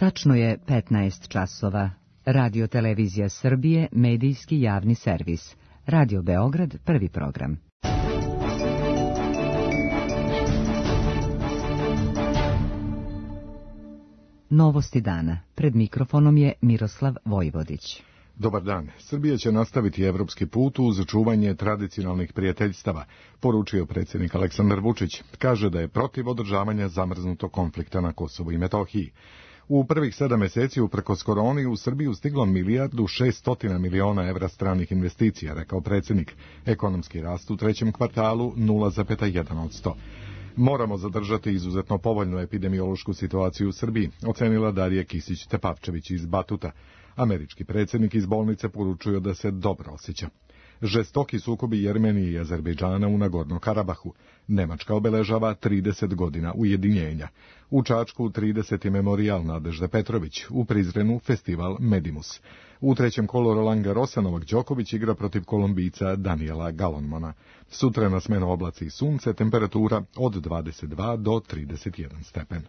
Tačno je 15 časova. Radio Televizija Srbije, medijski javni servis. Radio Beograd, prvi program. Novosti dana. Pred mikrofonom je Miroslav Vojvodić. Dobar dan. Srbija će nastaviti evropski put uz čuvanje tradicionalnih prijateljstava, poručio predsjednik Aleksandar Vučić. Kaže da je protiv održavanja zamrznutog konflikta na Kosovu i Metohiji. U prvih 7 mjeseci uprkos koroni u Srbiju stiglo 1.600 miliona evra stranih investicija, rekao predsjednik. Ekonomski rast u trećem kvartalu 0,1%. Moramo zadržati izuzetno povoljnu epidemiološku situaciju u Srbiji, ocenila Darija Kisić-Tepavčević iz Batuta. Američki predsjednik iz bolnice poručuje da se dobro osjeća. Žestoki sukobi Jermenije i Azerbejdžana u Nagorno Karabahu. Nemačka obeležava 30 godina ujedinjenja. U Čačku 30. memorijal Nadežde Petrović, u Prizrenu festival Medimus. U trećem kolu Roland Garrosa Novak Đoković igra protiv Kolumbijca Daniela Galonmana. Sutra na smenu oblaci i sunce, temperatura od 22 do 31 stepen.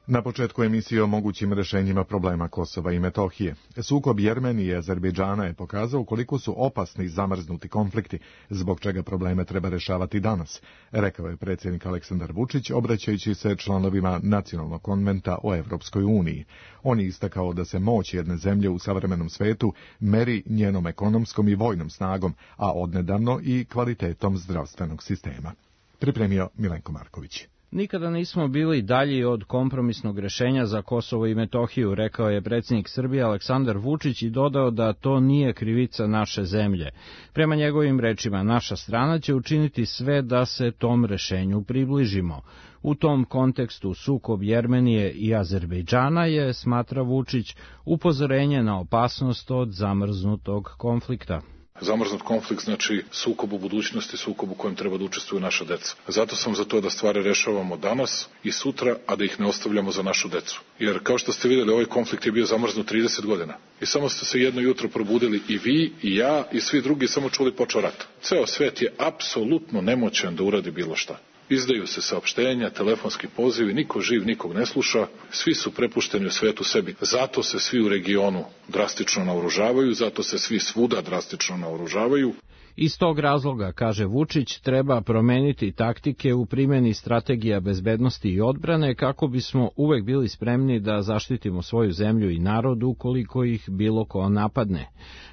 Na početku emisije o mogućim rješenjima problema Kosova i Metohije. Sukob Jermenije i Azerbejdžana je pokazao koliko su opasni zamrznuti konflikti, zbog čega probleme treba rješavati danas, rekao je predsjednik Aleksandar Vučić, obraćajući se članovima Nacionalnog konventa o Evropskoj uniji. On je istakao da se moć jedne zemlje u savremenom svetu meri njenom ekonomskom i vojnom snagom, a odnedavno i kvalitetom zdravstvenog sistema. Pripremio Milenko Marković. Nikada nismo bili dalji od kompromisnog rješenja za Kosovo i Metohiju, rekao je predsjednik Srbije Aleksandar Vučić i dodao da to nije krivica naše zemlje. Prema njegovim rečima, naša strana će učiniti sve da se tom rješenju približimo. U tom kontekstu sukob Jermenije i Azerbejdžana je, smatra Vučić, upozorenje na opasnost od zamrznutog konflikta. Zamrznut konflikt znači sukob u budućnosti, sukob u kojem treba da učestvuju naša deca. Zato sam za to da stvari rešavamo danas i sutra, a da ih ne ostavljamo za našu decu. Jer kao što ste vidjeli, ovaj konflikt je bio zamrznut 30 godina. I samo ste se jedno jutro probudili i vi, i ja, i svi drugi, samo čuli počeo rat. Ceo svet je apsolutno nemoćan da uradi bilo šta. Izdaju se saopštenja, telefonski pozivi, niko živ nikog ne sluša, svi su prepušteni u svetu sebi. Zato se svi u regionu drastično naoružavaju, zato se svi svuda drastično naoružavaju. Iz tog razloga, kaže Vučić, treba promeniti taktike u primjeni strategija bezbednosti i odbrane kako bismo uvek bili spremni da zaštitimo svoju zemlju i narod ukoliko ih bilo ko napadne.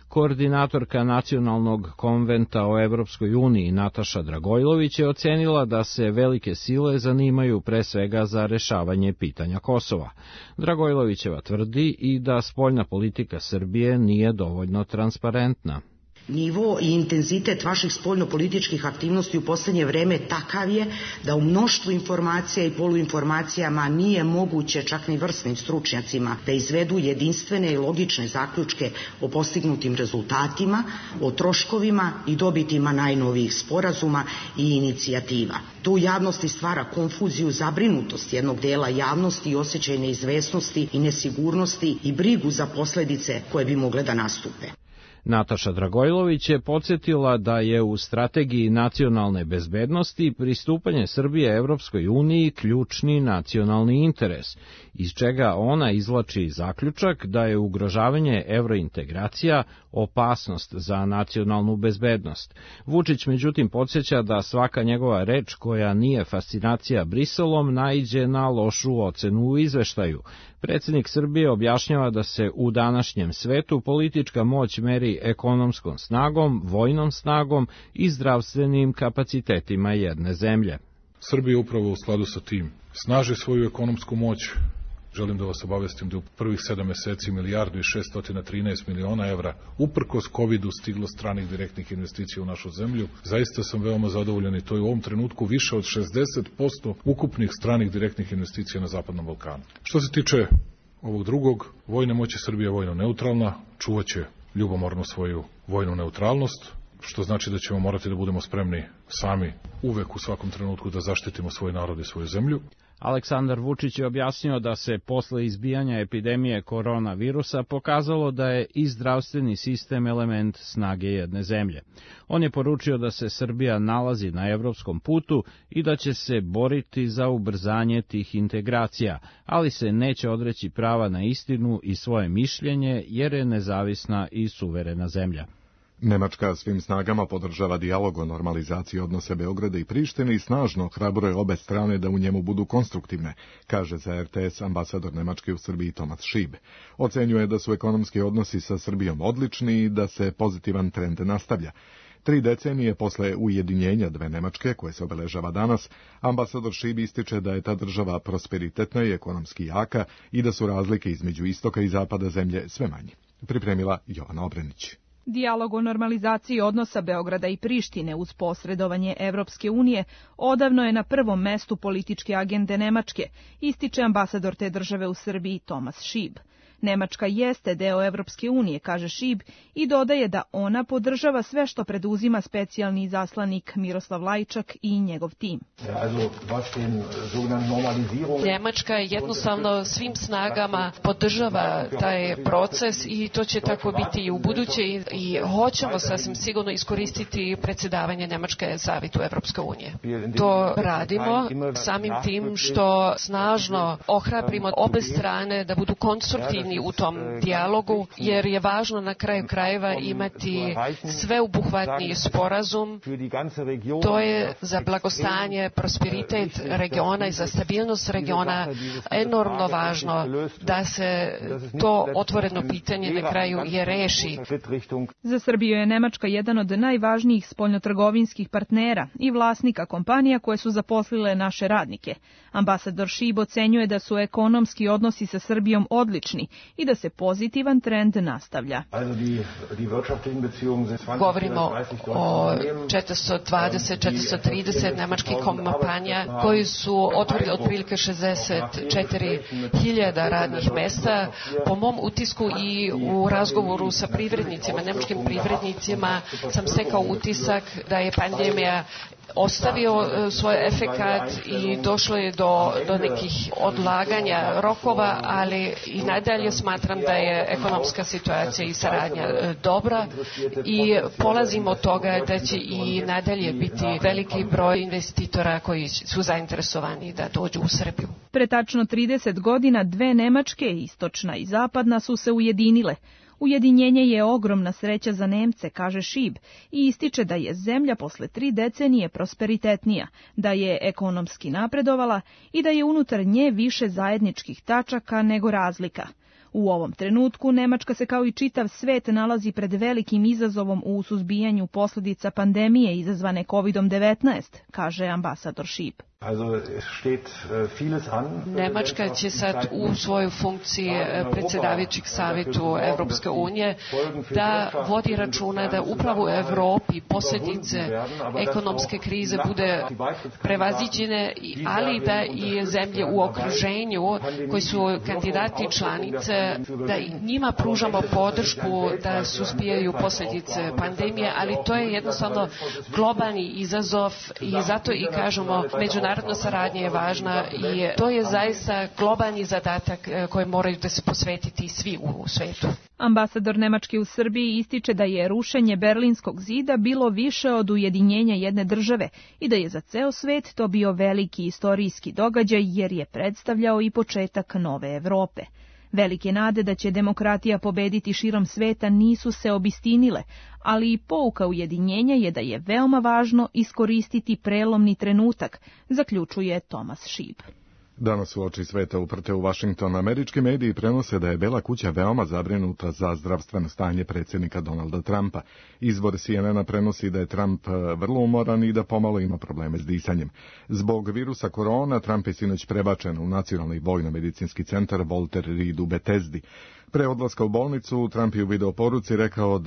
Koordinatorka Nacionalnog konventa o Evropskoj uniji Nataša Dragojlović je ocenila da se velike sile zanimaju pre svega za rešavanje pitanja Kosova. Dragojlovićeva tvrdi i da spoljna politika Srbije nije dovoljno transparentna. Nivo i intenzitet vaših spoljnopolitičkih aktivnosti u posljednje vreme takav je da u mnoštvu informacija i poluinformacijama nije moguće čak ni vrsnim stručnjacima da izvedu jedinstvene i logične zaključke o postignutim rezultatima, o troškovima i dobitima najnovijih sporazuma i inicijativa. To u javnosti stvara konfuziju, zabrinutost jednog dela javnosti i osjećaj neizvesnosti i nesigurnosti i brigu za posljedice koje bi mogle da nastupe. Nataša Dragojlović je podsjetila da je u strategiji nacionalne bezbednosti pristupanje Srbije Evropskoj uniji ključni nacionalni interes, iz čega ona izvlači zaključak da je ugrožavanje evrointegracija opasnost za nacionalnu bezbednost. Vučić međutim podsjeća da svaka njegova reč koja nije fascinacija Briselom naiđe na lošu ocenu u izveštaju. Predsjednik Srbije objašnjava da se u današnjem svetu politička moć meri ekonomskom snagom, vojnom snagom i zdravstvenim kapacitetima jedne zemlje. Srbija upravo u skladu sa tim snaži svoju ekonomsku moć. Želim da vas obavestim da u prvih 7 mjeseci 1.613 miliona evra uprkos COVID-u stiglo stranih direktnih investicija u našu zemlju. Zaista sam veoma zadovoljan i to je u ovom trenutku više od 60% ukupnih stranih direktnih investicija na Zapadnom Balkanu. Što se tiče ovog drugog, vojne moći Srbije je vojno neutralna, čuvaće ljubomorno svoju vojnu neutralnost, što znači da ćemo morati da budemo spremni sami uvek u svakom trenutku da zaštitimo svoj narod i svoju zemlju. Aleksandar Vučić je objasnio da se posle izbijanja epidemije koronavirusa pokazalo da je i zdravstveni sistem element snage jedne zemlje. On je poručio da se Srbija nalazi na evropskom putu i da će se boriti za ubrzanje tih integracija, ali se neće odreći prava na istinu i svoje mišljenje jer je nezavisna i suverena zemlja. Nemačka svim snagama podržava dijalog o normalizaciji odnose Beograda i Prištine i snažno ohrabruje obe strane da u njemu budu konstruktivne, kaže za RTS ambasador Nemačke u Srbiji Thomas Schieb. Ocenjuje da su ekonomski odnosi sa Srbijom odlični i da se pozitivan trend nastavlja. 3 decenije posle ujedinjenja dve Nemačke, koje se obeležava danas, ambasador Schieb ističe da je ta država prosperitetna i ekonomski jaka i da su razlike između istoka i zapada zemlje sve manje. Pripremila Jovana Obrenić. Dijalog o normalizaciji odnosa Beograda i Prištine uz posredovanje Evropske unije odavno je na prvom mestu političke agende Nemačke, ističe ambasador te države u Srbiji Thomas Schieb. Nemačka jeste deo Evropske unije, kaže Schieb, i dodaje da ona podržava sve što preduzima specijalni izaslanik Miroslav Lajčak i njegov tim. Njemačka jednostavno svim snagama podržava taj proces i to će tako biti i u buduće i hoćemo sasvim sigurno iskoristiti predsjedavanje Nemačke Savetu Evropske unije. To radimo samim tim što snažno ohrabrimo obe strane da budu konstruktivni u tom dijalogu, jer je važno na kraju krajeva imati sveobuhvatni sporazum. To je za blagostanje, prosperitet regiona i za stabilnost regiona enormno važno da se to otvoreno pitanje na kraju je reši. Za Srbiju je Nemačka jedan od najvažnijih spoljnotrgovinskih partnera i vlasnika kompanija koje su zaposlile naše radnike. Ambasador Schieb ocenjuje da su ekonomski odnosi sa Srbijom odlični i da se pozitivan trend nastavlja. Govorimo o 420-430 nemačkih kompanija koji su otvorili otprilike 64.000 radnih mesta. Po mom utisku i u razgovoru sa privrednicima, nemačkim privrednicima, sam stekao utisak da je pandemija ostavio svoj efekat i došlo je do nekih odlaganja rokova, ali i nadalje smatram da je ekonomska situacija i saradnja dobra i polazimo od toga da će i nadalje biti veliki broj investitora koji su zainteresovani da dođu u Srbiju. Pre tačno 30 godina dve Nemačke, istočna i zapadna, su se ujedinile. Ujedinjenje je ogromna sreća za Nemce, kaže Schieb, i ističe da je zemlja posle 3 decenije prosperitetnija, da je ekonomski napredovala i da je unutar nje više zajedničkih tačaka nego razlika. U ovom trenutku Nemačka se kao i čitav svet nalazi pred velikim izazovom u suzbijanju posljedica pandemije izazvane COVID-19, kaže ambasador Schieb. Nemačka će sad u svojoj funkciji predsjedavajućeg Savetu Evropske unije da vodi računa da upravo u Evropi posljedice ekonomske krize bude prevaziđene, ali da i zemlje u okruženju koji su kandidati članice, da i njima pružamo podršku da suzbijaju posljedice pandemije, ali to je jednostavno globalni izazov i zato i kažemo međunarodna saradnja je važna i to je zaista globalni zadatak koji moraju da se posvetiti svi u svetu. Ambasador Nemačke u Srbiji ističe da je rušenje Berlinskog zida bilo više od ujedinjenja jedne države i da je za ceo svet to bio veliki istorijski događaj jer je predstavljao i početak nove Evrope. Velike nade da će demokratija pobediti širom sveta nisu se obistinile, ali i pouka ujedinjenja je da je veoma važno iskoristiti prelomni trenutak, zaključuje Thomas Schieb. Danas u oči sveta uprte u Washington američki mediji prenose da je Bela kuća veoma zabrinuta za zdravstveno stanje predsjednika Donalda Trumpa. Izvor CNN-a prenosi da je Trump vrlo umoran i da pomalo ima probleme s disanjem. Zbog virusa korona, Trump je sinoć prebačen u Nacionalni vojno-medicinski centar Walter Reed u Bethesdi. Pre odlaska u bolnicu, Trump je u videoporuci rekao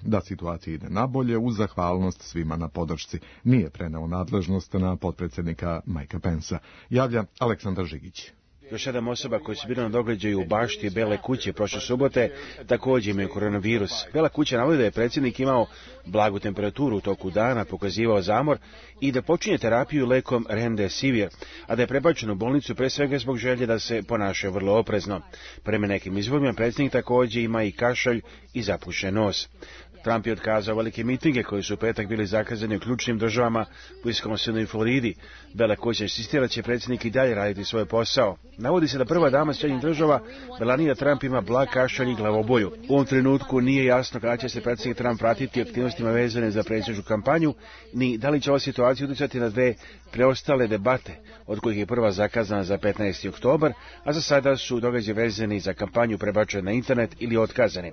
da situacija ide nabolje uz zahvalnost svima na podršci. Nije preneo nadležnost na potpredsjednika Mikea Pensa. Javlja Aleksandar Žigić. Još 7 osoba koji su bili na događaju u bašti Bele kuće prošle subote također imaju koronavirus. Bela kuća navodi da je predsjednik imao blagu temperaturu u toku dana, pokazivao zamor i da počinje terapiju lekom Remdesivir, a da je prebačen u bolnicu pre svega zbog želje da se ponaša vrlo oprezno. Prema nekim izvorima predsjednik također ima i kašalj i zapušen nos. Trump je otkazao velike mitinge koji su u petak bili zakazani u ključnim državama u Wisconsinu i Floridi. Bela kuća insistira da će predsjednik i dalje raditi svoj posao. Navodi se da prva dama Sjedinjenih država, Melania Trump, ima blag kašalj i glavobolju. U ovom trenutku nije jasno kada će se predsjednik Trump pratiti aktivnostima vezane za predsjedničku kampanju, ni da li će ova situacija utjecati na 2 preostale debate, od kojih je prva zakazana za 15. oktobar, a za sada su događaji vezani za kampanju prebačeni na internet ili otkazani.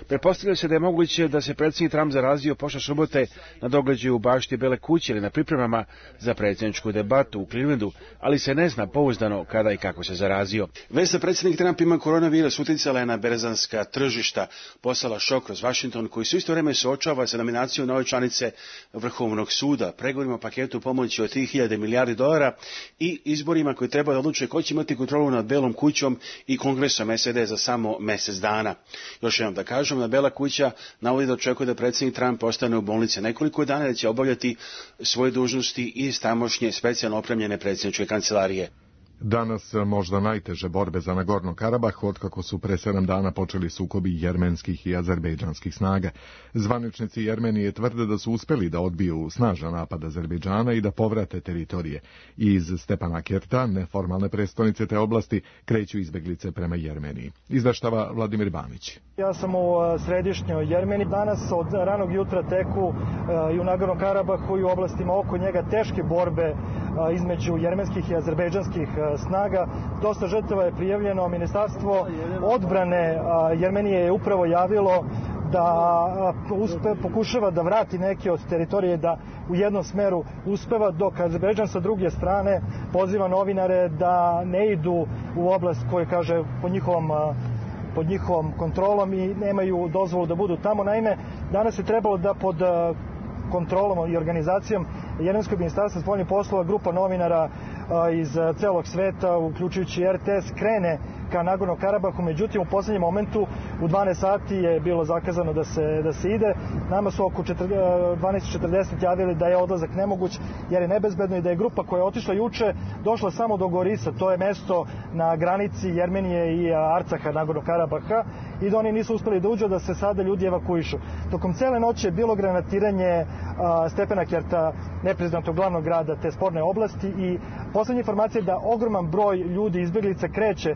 Pretpostavlja se da je moguće da se predsjednik Trump zarazio prošle subote na događaju u bašti Bele kuće ili na pripremama za predsjedničku debatu u Clevelandu, ali se ne zna pouzdano kada i kako se zarazio. Već da predsjednik Trump ima koronavirus utjecala je na berzanska tržišta, poslala šok kroz Washington, koji su isto vrijeme suočava sa nominacijom nove članice Vrhovnog suda, pregovorima o paketu pomoći od 3.000 milijardi dolara i izborima koji treba da odluče ko će imati kontrolu nad Belom kućom i Kongresom SAD za samo mjesec dana. Još jednom da kažem, da Bela kuća navodi da očekuje da predsjednik Trump ostane u bolnici nekoliko dana, da će obavljati svoje dužnosti iz tamošnje specijalno opremljene predsjedničke kancelarije. Danas možda najteže borbe za Nagorno Karabah otkako su pre 7 dana počeli sukobi jermenskih i azerbejdžanskih snaga. Zvaničnici Jermenije tvrde da su uspeli da odbiju snažan napad Azerbejdžana i da povrate teritorije. Iz Stepanakerta, neformalne prestonice te oblasti, kreću izbeglice prema Jermeniji. Izveštava Vladimir Banić. Ja sam u središnjoj Jermeni. Danas od ranog jutra teku i u Nagorno Karabahu i u oblastima oko njega teške borbe između jermenskih i azerbejdžanskih snaga. Dosta žrtava je prijavljeno. Ministarstvo odbrane Jermenije je upravo javilo da pokušava da vrati neke od teritorije, da u jednom smeru uspeva, dok Azerbejdžan sa druge strane poziva novinare da ne idu u oblast koja kaže pod njihovom kontrolom i nemaju dozvolu da budu tamo. Naime, danas je trebalo da pod kontrolom i organizacijom Jermenskog ministarstva spoljnih poslova grupa novinara iz celog sveta, uključujući RTS, krene ka Nagorno Karabahu, međutim u posljednjem momentu u 12 sati je bilo zakazano da se ide. Nama su oko 12:40 javili da je odlazak nemoguć jer je nebezbedno i da je grupa koja je otišla juče došla samo do Gorisa, to je mesto na granici Jermenije i Arcaha, Nagorno Karabaha, i da oni nisu uspeli da uđu, da se sada ljudi evakuišu. Tokom cele noći je bilo granatiranje Stepanakerta, nepriznatog glavnog grada te sporne oblasti, i poslednja informacija je da ogroman broj ljudi izbjeglica kreće.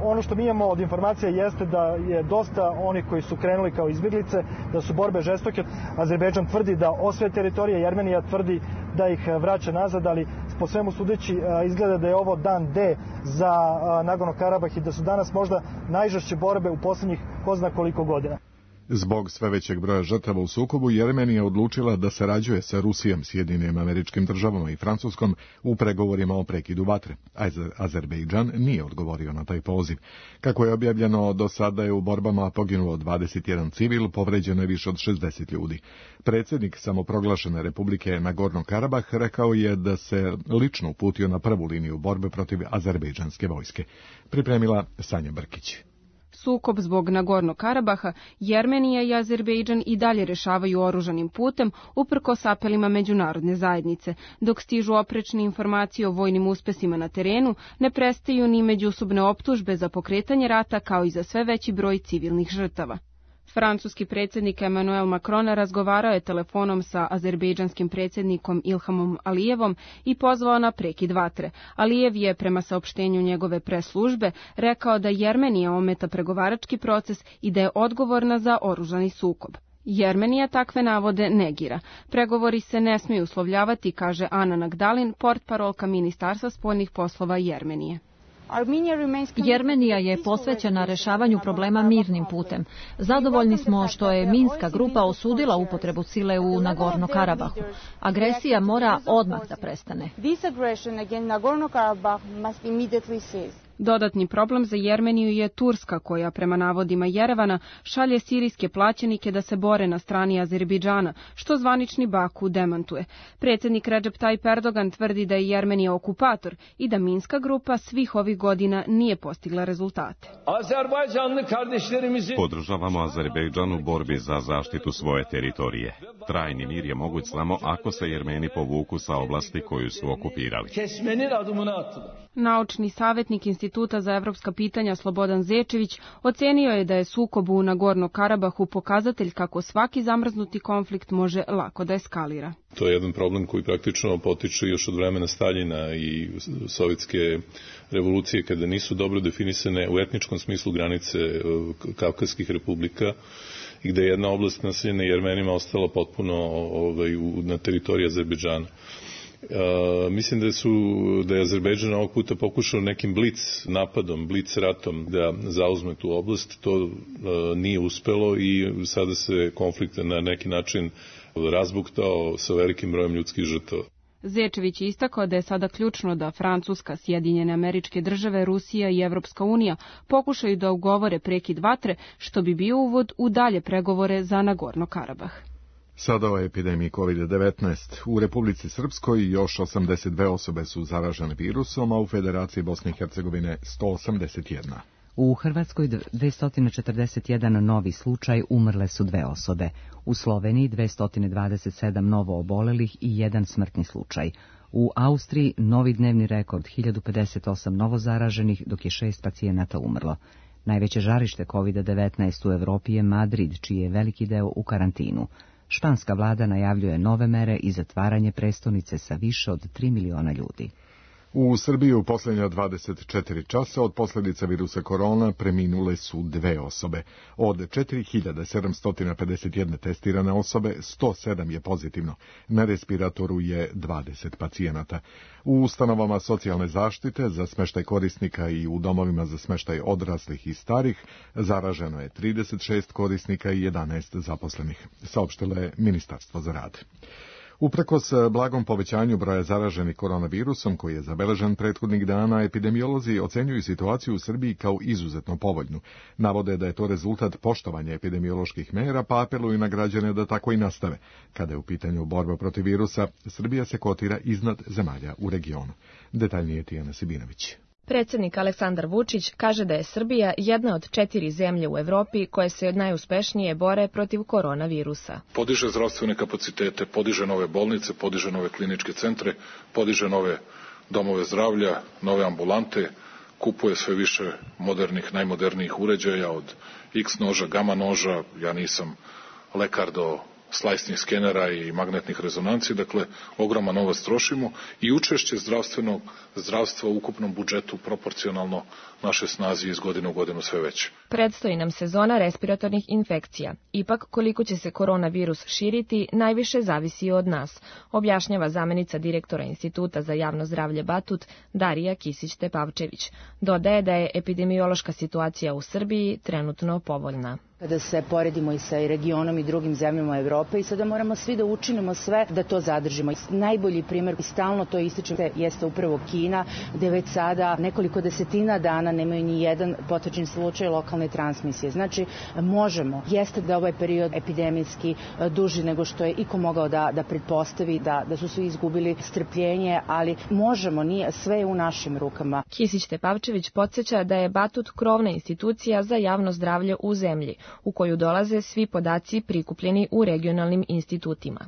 Ono što mi imamo od informacija jeste da je dosta onih koji su krenuli kao izbjeglice, da su borbe žestoke. Azerbejdžan tvrdi da osvaja teritorije, Jermenija tvrdi da ih vraća nazad, ali po svemu sudeći izgleda da je ovo dan D za Nagorno Karabah i da su danas možda najžešće borbe u posljednjih ko zna koliko godina. Zbog sve većeg broja žrtava u sukobu, Jermenija odlučila da sarađuje sa Rusijom, Sjedinjenim Američkim Državama i Francuskom u pregovorima o prekidu vatre. Azerbejdžan nije odgovorio na taj poziv. Kako je objavljeno, do sada je u borbama poginulo 21 civil, povređeno je više od 60 ljudi. Predsjednik samoproglašene Republike Nagorno Karabah rekao je da se lično uputio na prvu liniju borbe protiv azerbejdžanske vojske. Pripremila Sanja Brkić. Sukob zbog Nagorno Karabaha, Jermenija i Azerbejdžan i dalje rešavaju oružanim putem uprkos apelima međunarodne zajednice. Dok stižu oprečne informacije o vojnim uspesima na terenu, ne prestaju ni međusobne optužbe za pokretanje rata kao i za sve veći broj civilnih žrtava. Francuski predsjednik Emmanuel Macron razgovarao je telefonom sa azerbejdžanskim predsjednikom Ilhamom Alijevom i pozvao na prekid vatre. Alijev je, prema saopštenju njegove preslužbe, rekao da Jermenija ometa pregovarački proces i da je odgovorna za oružani sukob. Jermenija takve navode negira. Pregovori se ne smiju uslovljavati, kaže Ana Nagdalin, portparolka Ministarstva spoljnih poslova Jermenije. Jermenija je posvećena rešavanju problema mirnim putem. Zadovoljni smo što je Minska grupa osudila upotrebu sile u Nagorno Karabahu. Agresija mora odmah da prestane. Dodatni problem za Jermeniju je Turska, koja prema navodima Jerevana šalje sirijske plaćenike da se bore na strani Azerbejdžana, što zvanični Baku demantuje. Predsjednik Recep Tayyip Erdogan tvrdi da je Jermenija okupator i da Minska grupa svih ovih godina nije postigla rezultate. Podržavamo Azerbejdžan u borbi za zaštitu svoje teritorije. Trajni mir je moguć samo ako se Jermeni povuku sa oblasti koju su okupirali. Naučni savjetnik Instituta za evropska pitanja Slobodan Zečević ocenio je da je sukob u Nagorno-Karabahu pokazatelj kako svaki zamrznuti konflikt može lako da eskalira. To je jedan problem koji praktično potiče još od vremena Staljina i sovjetske revolucije, kada nisu dobro definisane u etničkom smislu granice Kavkazskih republika i gde je jedna oblast naseljena Jermenima ostala potpuno na teritoriji Azerbejdžana. Mislim da je Azerbejdžan ovog puta pokušao nekim blic napadom, blic ratom da zauzme tu oblast. To nije uspelo i sada se konflikt na neki način razbuktao sa velikim brojem ljudskih žrtava. Zečević je istakao da je sada ključno da Francuska, Sjedinjene Američke Države, Rusija i Evropska unija pokušaju da ugovore prekid vatre, što bi bio uvod u dalje pregovore za Nagorno-Karabah. Sada o epidemiji COVID-19. U Republici Srpskoj još 82 osobe su zaražene virusom, a u Federaciji Bosne i Hercegovine 181. U Hrvatskoj 241 novi slučaj, umrle su 2 osobe. U Sloveniji 227 novo obolelih i 1 smrtni slučaj. U Austriji novi dnevni rekord 1058 novo zaraženih, dok je 6 pacijenata umrlo. Najveće žarište COVID-19 u Evropi je Madrid, čiji je veliki deo u karantinu. Španska vlada najavljuje nove mere i zatvaranje prestonice sa više od 3 miliona ljudi. U Srbiji u posljednja 24 časa od posljedica virusa korona preminule su 2 osobe. Od 4751 testirane osobe, 107 je pozitivno. Na respiratoru je 20 pacijenata. U ustanovama socijalne zaštite za smještaj korisnika i u domovima za smještaj odraslih i starih zaraženo je 36 korisnika i 11 zaposlenih, saopštilo je Ministarstvo za rad. Uprkos blagom povećanju broja zaraženih koronavirusom koji je zabeležen prethodnih dana, epidemiolozi ocenjuju situaciju u Srbiji kao izuzetno povoljnu. Navode da je to rezultat poštovanja epidemioloških mera, pa apeluju na građane da tako i nastave. Kada je u pitanju borba protiv virusa, Srbija se kotira iznad zemalja u regionu. Detaljnije Tijana Sibinović. Predsjednik Aleksandar Vučić kaže da je Srbija jedna od 4 zemlje u Evropi koje se najuspešnije bore protiv koronavirusa. Podiže zdravstvene kapacitete, podiže nove bolnice, podiže nove kliničke centre, podiže nove domove zdravlja, nove ambulante, kupuje sve više modernih, najmodernijih uređaja od X noža, gama noža, ja nisam lekar, do slajsnih skenera i magnetnih rezonanci, dakle ogroman novac trošimo i učešće zdravstva u ukupnom budžetu proporcionalno naše snazi iz godine u godinu sve veće. Predstoji nam sezona respiratornih infekcija. Ipak koliko će se koronavirus širiti najviše zavisi od nas, objašnjava zamenica direktora Instituta za javno zdravlje Batut Darija Kisić-Tepavčević. Dodaje da je epidemiološka situacija u Srbiji trenutno povoljna. Kada se poredimo i sa regionom i drugim zemljama Evrope i sada moramo svi da učinimo sve da to zadržimo. Najbolji primjer, i stalno to ističem, jeste upravo Kina, gde već sada nekoliko desetina dana nemaju ni jedan potvrđen slučaj lokalne transmisije. Znači, možemo. Jeste da ovaj period epidemijski duži nego što je iko mogao da pretpostavi, da su svi izgubili strpljenje, ali možemo, sve je u našim rukama. Kisić-Tepavčević podsjeća da je Batut krovna institucija za javno zdravlje u zemlji, u koju dolaze svi podaci prikupljeni u regionalnim institutima.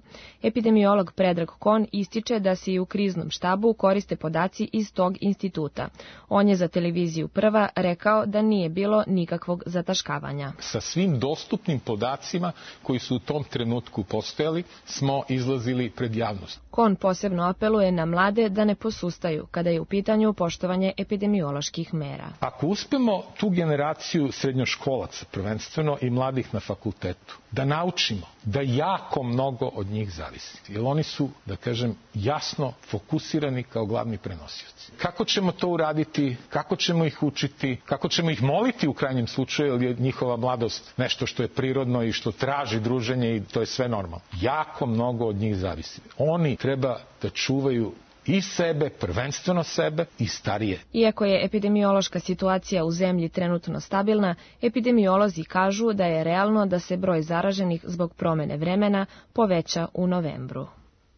Epidemiolog Predrag Kon ističe da se i u kriznom štabu koriste podaci iz tog instituta. On je za televiziju Prva rekao da nije bilo nikakvog zataškavanja. Sa svim dostupnim podacima koji su u tom trenutku postojali smo izlazili pred javnost. Kon posebno apeluje na mlade da ne posustaju kada je u pitanju poštovanje epidemioloških mera. Ako uspemo tu generaciju srednjoškolaca, prvenstveno i mladih na fakultetu, da naučimo da jako mnogo od njih zavisi. Jer oni su, da kažem, jasno fokusirani kao glavni prenosioci. Kako ćemo to uraditi, kako ćemo ih učiti, kako ćemo ih moliti u krajnjem slučaju, jer je njihova mladost nešto što je prirodno i što traži druženje i to je sve normalno. Jako mnogo od njih zavisi. Oni treba da čuvaju i sebe, prvenstveno sebe i starije. Iako je epidemiološka situacija u zemlji trenutno stabilna, epidemiolozi kažu da je realno da se broj zaraženih zbog promene vremena poveća u novembru.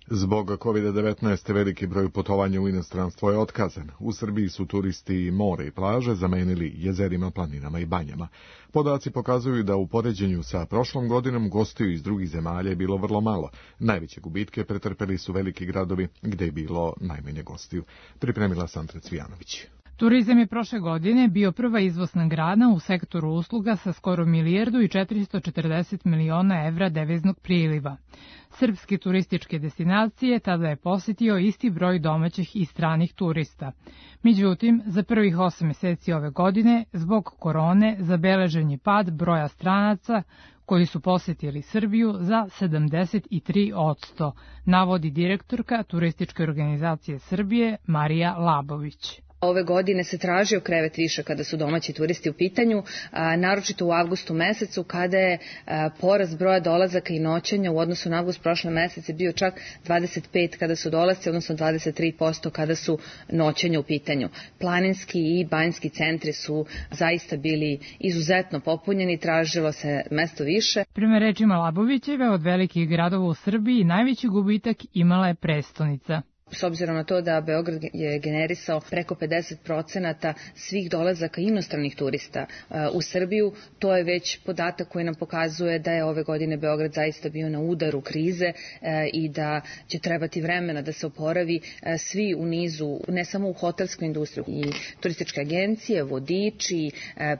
Zbog COVID-19 veliki broj putovanja u inostranstvo je otkazan. U Srbiji su turisti more i plaže zamenili jezerima, planinama i banjama. Podaci pokazuju da u poređenju sa prošlom godinom gostiju iz drugih zemalja je bilo vrlo malo. Najveće gubitke pretrpeli su veliki gradovi gde je bilo najmanje gostiju. Pripremila Sandra Cvijanović. Turizam je prošle godine bio prva izvozna grana u sektoru usluga sa skoro 1.440 miliona evra deviznog priliva. Srpske turističke destinacije tada je posetio isti broj domaćih i stranih turista. Međutim, za prvih 8 meseci ove godine, zbog korone, zabeležen je pad broja stranaca koji su posetili Srbiju za 73%, navodi direktorka Turističke organizacije Srbije Marija Labović. Ove godine se tražio krevet više kada su domaći turisti u pitanju, naročito u avgustu mesecu kada je porast broja dolazaka i noćenja u odnosu na avgust prošle mesece bio čak 25 kada su dolasci, odnosno 23% kada su noćenja u pitanju. Planinski i banjski centri su zaista bili izuzetno popunjeni, tražilo se mesto više. Prema rečima Labovićeve, od velikih gradova u Srbiji najveći gubitak imala je prestonica. S obzirom na to da Beograd je generisao preko 50% svih dolazaka inostranih turista u Srbiju, to je već podatak koji nam pokazuje da je ove godine Beograd zaista bio na udaru krize i da će trebati vremena da se oporavi svi u nizu, ne samo u hotelskoj industriji, i turističke agencije, vodiči,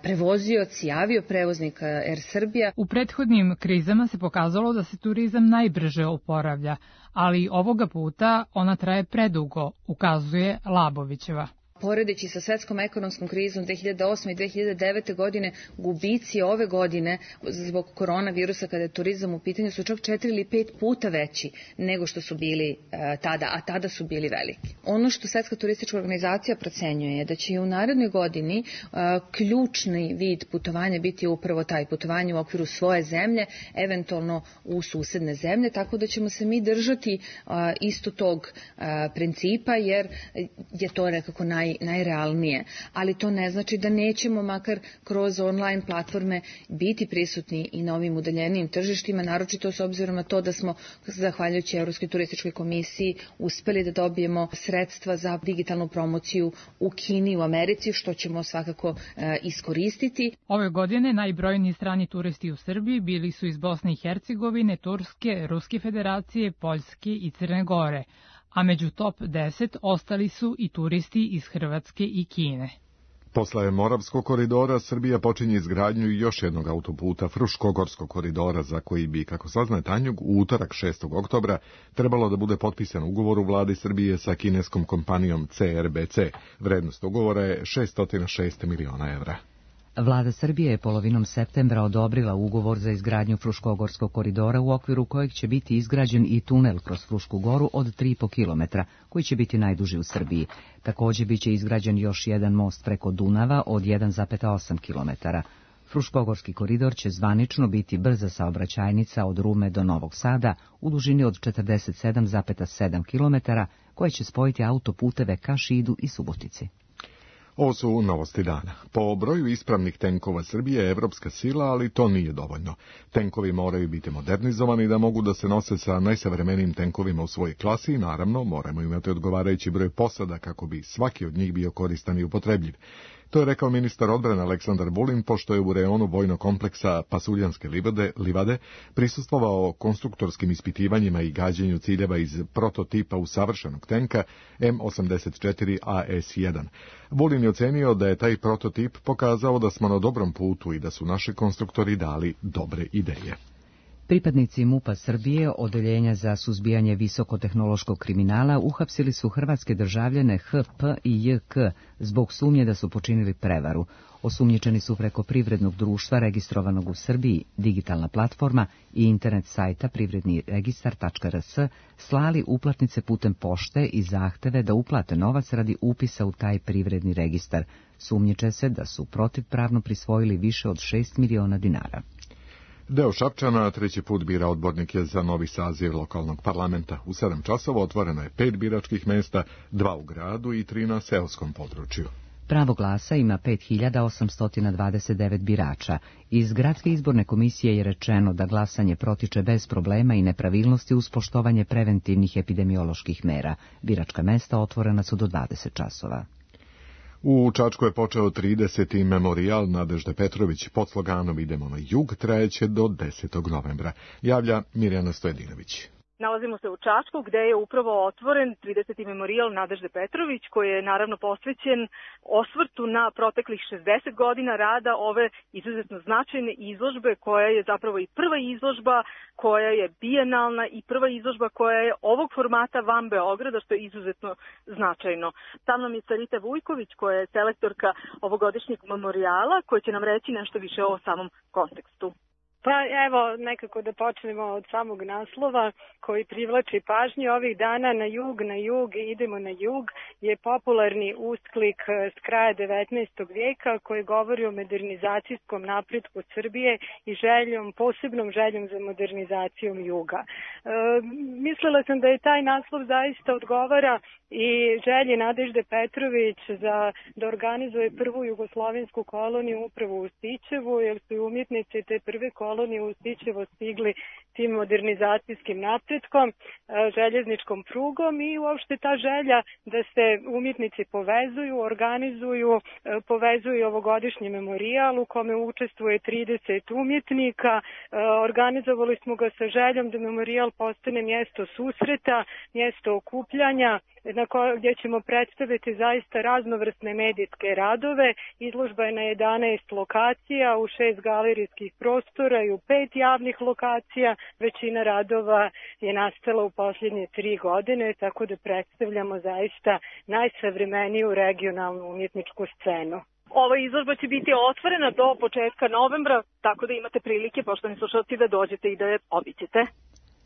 prevozioci, avioprevoznik Air Srbija. U prethodnim krizama se pokazalo da se turizam najbrže oporavlja, ali ovoga puta ona traje predugo, ukazuje Labovićeva. Poredeći sa svetskom ekonomskom krizom 2008. i 2009. godine, gubici ove godine zbog koronavirusa kada je turizam u pitanju su čak 4 ili 5 puta veći nego što su bili tada, a tada su bili veliki. Ono što Svetska turistička organizacija procenjuje je da će i u narednoj godini ključni vid putovanja biti upravo taj putovanje u okviru svoje zemlje, eventualno u susedne zemlje, tako da ćemo se mi držati isto tog principa jer je to nekako najrealnije, ali to ne znači da nećemo makar kroz online platforme biti prisutni i na ovim udaljenijim tržištima, naročito s obzirom na to da smo, zahvaljujući Evropskoj turističkoj komisiji, uspeli da dobijemo sredstva za digitalnu promociju u Kini i u Americi, što ćemo svakako iskoristiti. Ove godine najbrojniji strani turisti u Srbiji bili su iz Bosne i Hercegovine, Turske, Ruske federacije, Poljske i Crne Gore, a među top 10 ostali su i turisti iz Hrvatske i Kine. Posle Moravskog koridora, Srbija počinje izgradnju još jednog autoputa, Fruškogorskog koridora, za koji bi, kako saznaje Tanjug, u utorak 6. oktobra trebalo da bude potpisan ugovor u vladi Srbije sa kineskom kompanijom CRBC. Vrednost ugovora je 606 miliona evra. Vlada Srbije je polovinom septembra odobrila ugovor za izgradnju Fruškogorskog koridora u okviru kojeg će biti izgrađen i tunel kroz Frušku goru od 3,5 km, koji će biti najduži u Srbiji. Također biće izgrađen još jedan most preko Dunava od 1,8 km. Fruškogorski koridor će zvanično biti brza saobraćajnica od Rume do Novog Sada u dužini od 47,7 km, koje će spojiti autoputeve ka Šidu i Subotici. Ovo su novosti dana. Po broju ispravnih tenkova Srbije je evropska sila, ali to nije dovoljno. Tenkovi moraju biti modernizovani da mogu da se nose sa najsavremenijim tenkovima u svojoj klasi i naravno moramo imati odgovarajući broj posada kako bi svaki od njih bio koristan i upotrebljiv. To je rekao ministar odbrane Aleksandar Vulin, pošto je u reonu vojnog kompleksa Pasuljanske livade prisustvovao konstruktorskim ispitivanjima i gađanju ciljeva iz prototipa usavršenog tenka M84 AS-1. Vulin je ocenio da je taj prototip pokazao da smo na dobrom putu i da su naši konstruktori dali dobre ideje. Pripadnici MUP-a Srbije, Odeljenja za suzbijanje visokotehnološkog kriminala, uhapsili su hrvatske državljane HP i JK zbog sumnje da su počinili prevaru. Osumnjičeni su preko privrednog društva registrovanog u Srbiji, digitalna platforma i internet sajta privredniregistar.rs slali uplatnice putem pošte i zahteve da uplate novac radi upisa u taj privredni registar. Sumnjiče se da su protivpravno prisvojili više od 6 miliona dinara. Deo Šapčana treći put bira odbornike za novi saziv lokalnog parlamenta. U 7 časova otvoreno je 5 biračkih mesta, 2 u gradu i 3 na seoskom području. Pravo glasa ima 5829 birača. Iz Gradske izborne komisije je rečeno da glasanje protiče bez problema i nepravilnosti uz poštovanje preventivnih epidemioloških mera. Biračka mesta otvorena su do 20 časova. U Čačku je počeo 30. memorijal Nadežde Petrović pod sloganom Idemo na jug, trajeće do 10. novembra. Javlja Mirjana Stojedinović. Nalazimo se u Čačku gde je upravo otvoren 30. memorijal Nadežde Petrović koji je naravno posvećen osvrtu na proteklih 60 godina rada ove izuzetno značajne izložbe koja je zapravo i prva izložba koja je bijenalna i prva izložba koja je ovog formata van Beograda što je izuzetno značajno. Tam nam je Sarita Vujković koja je selektorka ovogodišnjeg memorijala koja će nam reći nešto više o samom kontekstu. Pa evo, nekako da počnemo od samog naslova koji privlači pažnju ovih dana. Na jug, idemo na jug je popularni ustklik s kraja 19. vijeka koji govori o modernizacijskom napretku Srbije i posebnom željom za modernizacijom juga. Mislila sam da je taj naslov zaista odgovara i želji Nadežde Petrović da organizuje prvu jugoslovensku koloniju upravo u Stičevu, jer su i umjetnici te prve kolonije u Stičevo stigli tim modernizacijskim napretkom, željezničkom prugom i uopšte ta želja da se umjetnici povezuju, organizuju, povezuju ovogodišnji memorijal u kome učestvuje 30 umjetnika. Organizovali smo ga sa željom da memorijal postane mjesto susreta, mjesto okupljanja, gdje ćemo predstaviti zaista raznovrsne medijske radove. Izložba je na 11 lokacija, u 6 galerijskih prostora i u 5 javnih lokacija. Većina radova je nastala u posljednje 3 godine, tako da predstavljamo zaista najsavremeniju regionalnu umjetničku scenu. Ova izložba će biti otvorena do početka novembra, tako da imate prilike, poštovani slušalci, da dođete i da je obiđete.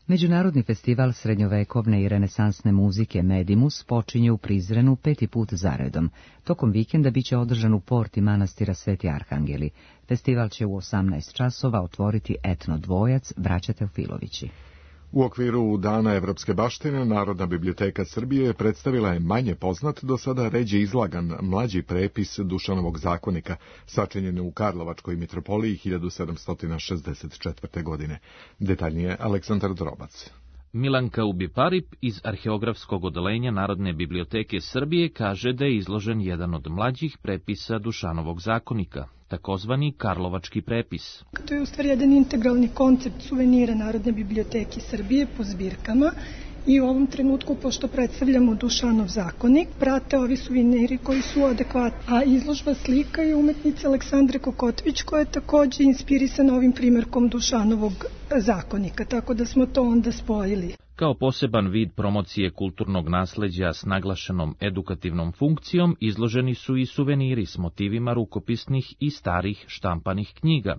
Međunarodni festival srednjovekovne i renesansne muzike Medimus počinje u Prizrenu 5. put zaredom. Tokom vikenda biće održan u porti manastira Sveti Arhangeli. Festival će u 18 časova otvoriti etno dvojac Braća Teofilovići. U okviru Dana evropske baštine Narodna biblioteka Srbije predstavila je manje poznat, do sada ređe izlagan mlađi prepis Dušanovog zakonika, sačinjen u Karlovačkoj mitropoliji 1764. godine. Detaljnije Aleksandar Drobac. Milanka Ubiparip iz Arheografskog odeljenja Narodne biblioteke Srbije kaže da je izložen jedan od mlađih prepisa Dušanovog zakonika, takozvani Karlovački prepis. To je u stvari jedan integralni koncept suvenira Narodne biblioteke Srbije po zbirkama i u ovom trenutku, pošto predstavljamo Dušanov zakonik, prate ovi suveniri koji su adekvatni. A izložba slika je umetnice Aleksandre Kokotović koja je također inspirisana ovim primjerkom Dušanovog zakonika, tako da smo to onda spojili. Kao poseban vid promocije kulturnog nasleđa s naglašenom edukativnom funkcijom izloženi su i suveniri s motivima rukopisnih i starih štampanih knjiga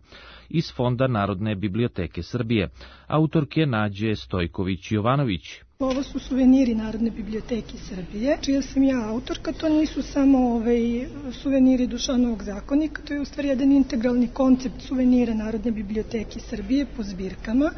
iz Fonda Narodne biblioteke Srbije, autorke Nađe Stojković-Jovanović. Ovo su suveniri Narodne biblioteke Srbije, čija sam ja autorka. To nisu samo suveniri Dušanovog zakonika, to je u stvari jedan integralni koncept suvenira Narodne biblioteke Srbije po zbirkama.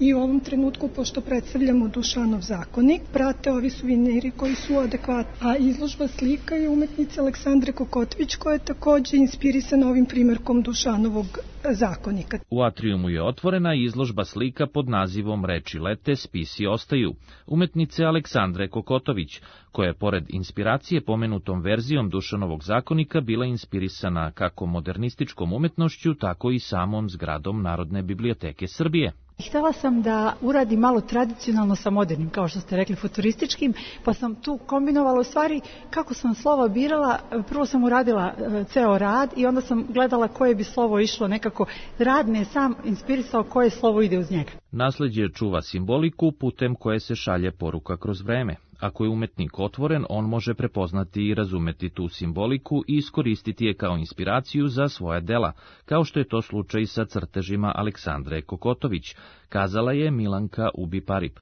I u ovom trenutku, pošto predstavljamo Dušanov zakonik, prate ovi suveniri koji su adekvatni. A izložba slika je umetnice Aleksandre Kokotović koja je također inspirisana ovim primjerkom Dušanovog zakonika. U atrijumu je otvorena izložba slika pod nazivom Reči lete, spisi ostaju, umetnice Aleksandre Kokotović, koja je pored inspiracije pomenutom verzijom Dušanovog zakonika bila inspirisana kako modernističkom umetnošću, tako i samom zgradom Narodne biblioteke Srbije. Htjela sam da uradim malo tradicionalno sa modernim, kao što ste rekli, futurističkim, pa sam tu kombinovala u stvari kako sam slova birala. Prvo sam uradila ceo rad i onda sam gledala koje bi slovo išlo nekako. Rad me je sam inspirisao koje slovo ide uz njega. Nasleđe čuva simboliku putem koje se šalje poruka kroz vreme. Ako je umetnik otvoren, on može prepoznati i razumeti tu simboliku i iskoristiti je kao inspiraciju za svoja dela, kao što je to slučaj sa crtežima Aleksandre Kokotović, kazala je Milanka Ubiparip.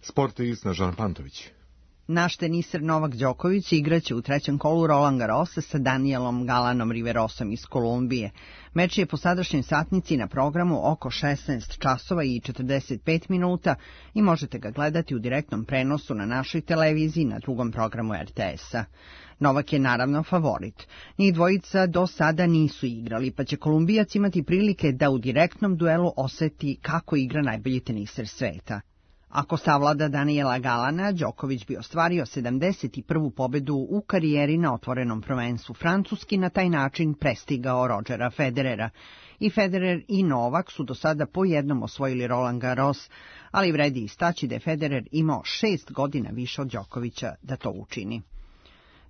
Sport i Snežana Pantović. Naš teniser Novak Đoković igraće u trećem kolu Roland Garrosa sa Danielom Galanom Riverosom iz Kolumbije. Meč je po sadašnjoj satnici na programu oko 16 časova i 45 minuta i možete ga gledati u direktnom prenosu na našoj televiziji na drugom programu RTS-a. Novak je naravno favorit. Njih dvojica do sada nisu igrali, pa će Kolumbijac imati prilike da u direktnom duelu oseti kako igra najbolji teniser sveta. Ako savlada Daniela Galana, Đoković bi ostvario 71. pobedu u karijeri na otvorenom prvenstvu Francuski, na taj način prestigao Rodgera Federera. I Federer i Novak su do sada po jednom osvojili Roland Garros, ali vredi istaći da je Federer imao 6 godina više od Đokovića da to učini.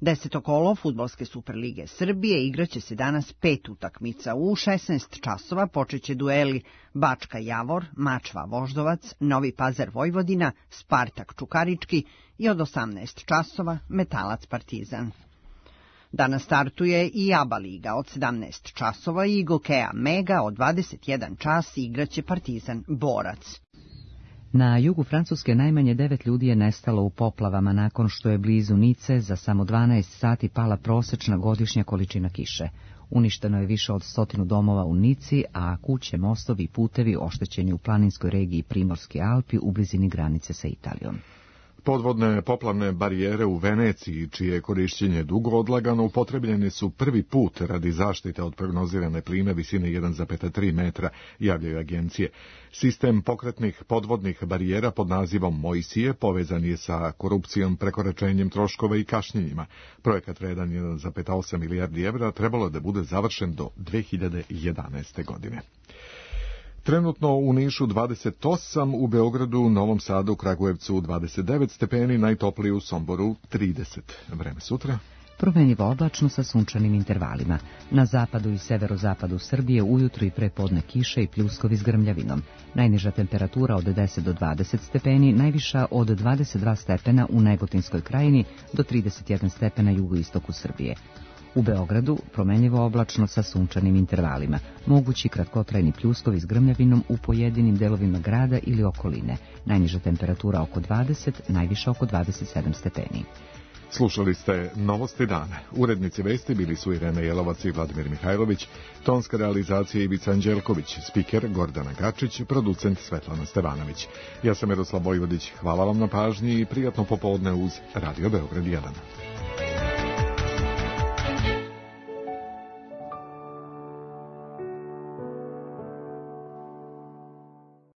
10. kolo Fudbalske Superlige Srbije igraće se danas 5 utakmica. U 16 časova počeće dueli Bačka Javor, Mačva Voždovac, Novi Pazar Vojvodina, Spartak Čukarički i od 18 časova Metalac Partizan. Danas startuje i ABA liga od 17 časova i Gokea Mega od 21 čas igraće Partizan Borac. Na jugu Francuske najmanje 9 ljudi je nestalo u poplavama nakon što je blizu Nice za samo 12 sati pala prosečna godišnja količina kiše. Uništeno je više od 100 domova u Nici, a kuće, mostovi i putevi oštećeni u planinskoj regiji Primorske Alpi u blizini granice sa Italijom. Podvodne poplavne barijere u Veneciji, čije korišćenje dugo odlagano, upotrebljene su prvi put radi zaštite od prognozirane plime visine 1,3 metra, javljaju agencije. Sistem pokretnih podvodnih barijera pod nazivom Mojsije povezan je sa korupcijom, prekoračenjem troškova i kašnjenjima. Projekat vredan 1,8 milijardi evra trebalo da bude završen do 2011. godine. Trenutno u Nišu 28, u Beogradu, Novom Sadu, Kragujevcu 29 stepeni, najtopliji u Somboru 30. Vreme sutra. Promenljivo oblačno sa sunčanim intervalima. Na zapadu i severozapadu Srbije ujutru i prepodne kiše i pljuskovi s grmljavinom. Najniža temperatura od 10 do 20 stepeni, najviša od 22 stepena u Negotinskoj krajini do 31 stepena jugoistoku Srbije. U Beogradu promenljivo oblačno sa sunčanim intervalima, mogući kratkotrajni pljuskovi s grmljavinom u pojedinim delovima grada ili okoline. Najniža temperatura oko 20, najviša oko 27 stepeni. Slušali ste Novosti dana. Urednici vesti bili su Irena Jelovac i Vladimir Mihajlović, tonska realizacija Ivica Anđelković, spiker Gordana Gačić, producent Svetlana Stevanović. Ja sam Miroslav Vojvodić, hvala vam na pažnji i prijatno popodne uz Radio Beograd 1.